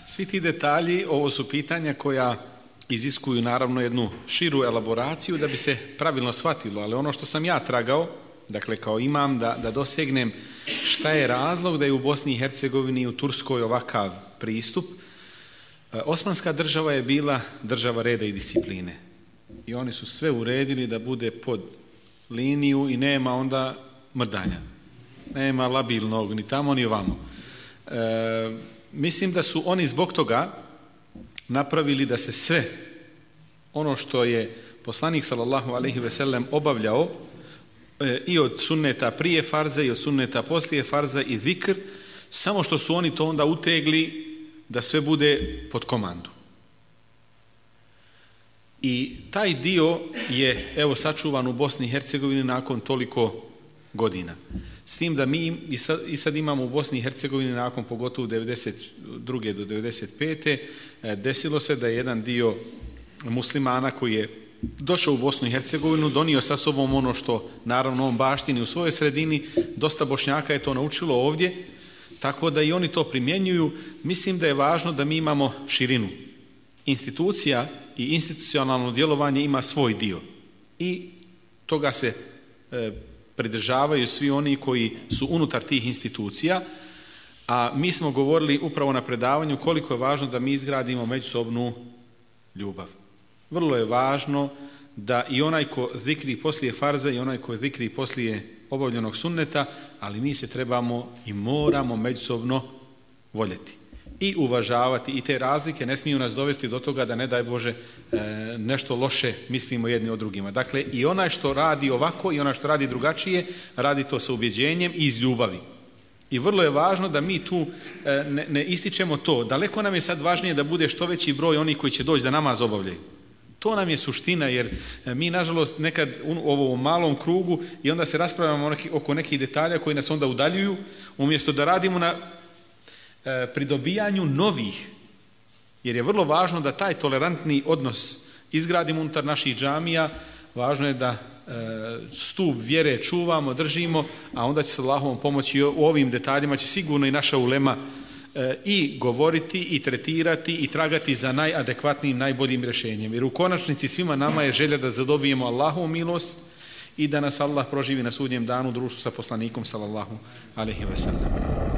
Svi ti detalji, ovo su pitanja koja iziskuju naravno jednu širu elaboraciju da bi se pravilno shvatilo, ali ono što sam ja tragao, dakle kao imam da dosegnem šta je razlog da je u Bosni i Hercegovini i u Turskoj ovakav pristup. Osmanska država je bila država reda i discipline i oni su sve uredili da bude pod liniju i nema onda mrdanja, nema labilnog ni tamo ni ovamo. Mislim da su oni zbog toga napravili da se sve ono što je poslanik sallallahu alejhi ve sellem obavljao i od sunneta prije farza i od sunneta poslije farza i zikr, samo što su oni to onda utegli da sve bude pod komandu. I taj dio je evo sačuvan u Bosni i Hercegovini nakon toliko godina. S tim da mi i sad imamo u Bosni i Hercegovini nakon pogotovo 92. do 95. desilo se da je jedan dio muslimana koji je došao u Bosnu i Hercegovinu donio sa sobom ono što naravno on baštini u svojoj sredini, dosta Bošnjaka je to naučilo ovdje, tako da i oni to primjenjuju. Mislim da je važno da mi imamo širinu. Institucija i institucionalno djelovanje ima svoj dio i toga se pridržavaju svi oni koji su unutar tih institucija, a mi smo govorili upravo na predavanju koliko je važno da mi izgradimo međusobnu ljubav. Vrlo je važno da i onaj ko zikri poslije farza i onaj ko zikri poslije obavljenog sunneta, ali mi se trebamo i moramo međusobno voljeti i uvažavati i te razlike ne smiju nas dovesti do toga da ne daj Bože nešto loše mislimo jedni o drugima. Dakle, i onaj što radi ovako i onaj što radi drugačije, radi to sa ubjeđenjem i iz ljubavi. I vrlo je važno da mi tu ne ističemo to. Daleko nam je sad važnije da bude što veći broj onih koji će doći da namaz obavljaju. To nam je suština, jer mi nažalost nekad u ovom malom krugu i onda se raspravljamo oko nekih detalja koji nas onda udaljuju, umjesto da radimo na pridobijanju novih, jer je vrlo važno da taj tolerantni odnos izgradimo unutar naših džamija. Važno je da stup vjere čuvamo, držimo, a onda će se Allahovom pomoći u ovim detaljima će sigurno i naša ulema i govoriti i tretirati i tragati za najadekvatnijim, najboljim rješenjem. Jer u konačnici svima nama je želja da zadobijemo Allahovu milost i da nas Allah proživi na sudnjem danu u društvu sa poslanikom sallallahu alejhi ve sellem.